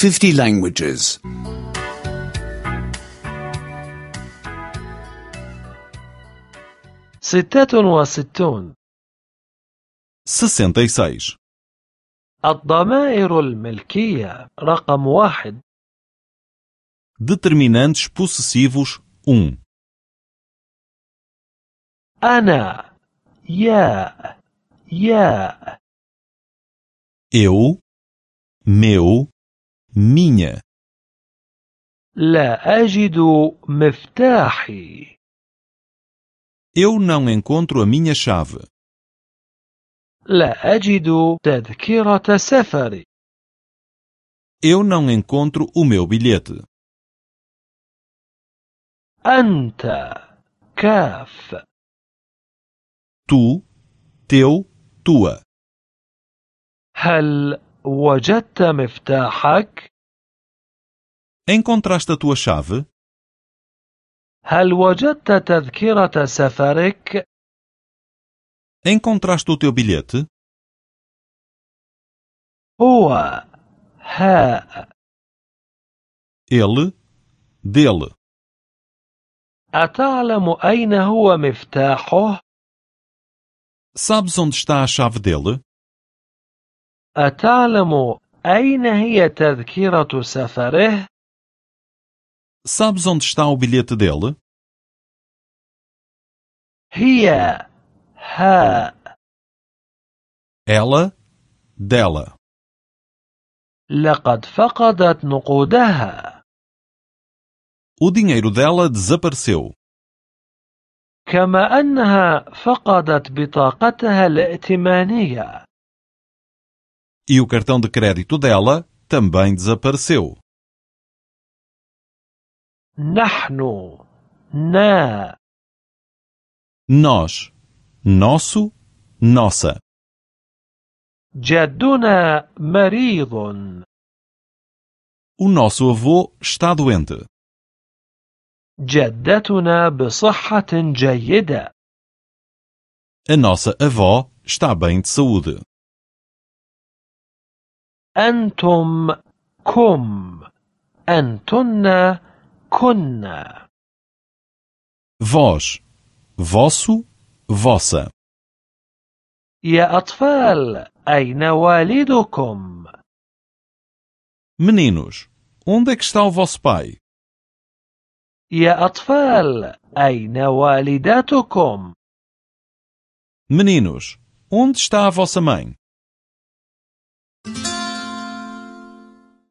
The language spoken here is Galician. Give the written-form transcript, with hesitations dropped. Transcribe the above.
50 languages. 66. 66. الضمائر الملكية رقم 1. Determinantes possessivos 1. أنا يا Eu, meu, minha. لا أجد مفتاحي. Eu não encontro a minha chave. لا أجد تذكرة سفري. Eu não encontro o meu bilhete. أنت كاف. Tu, teu, tua. هل وجدت مفتاحك؟ Encontraste a tua chave? هل وجدت تذكرة سفرك؟ Encontraste o teu bilhete? هو هاء. Ele, dele. أتعلم أين هو مفتاحه؟ Sabes onde está a chave dele? أتعلم أين هي تذكرة سفره؟ Sabes onde está o bilhete dele? هي هاء. Ela, dela. لقد فقدت نقودها. O dinheiro dela desapareceu. كما أنها فقدت بطاقتها الائتمانية. E o cartão de crédito dela também desapareceu. نحن نا. Nós, nosso, nossa. جدنا مريض. O nosso avô está doente. جدتنا بصحة جيدة. A nossa avó está bem de saúde. أنتم كم. أنتن كنا. Vós, vosso, vossa. يا أطفال أين والدكم؟ Meninos, onde é que está o vosso pai? يا أطفال أين والدتكم؟ Meninos, onde está a vossa mãe?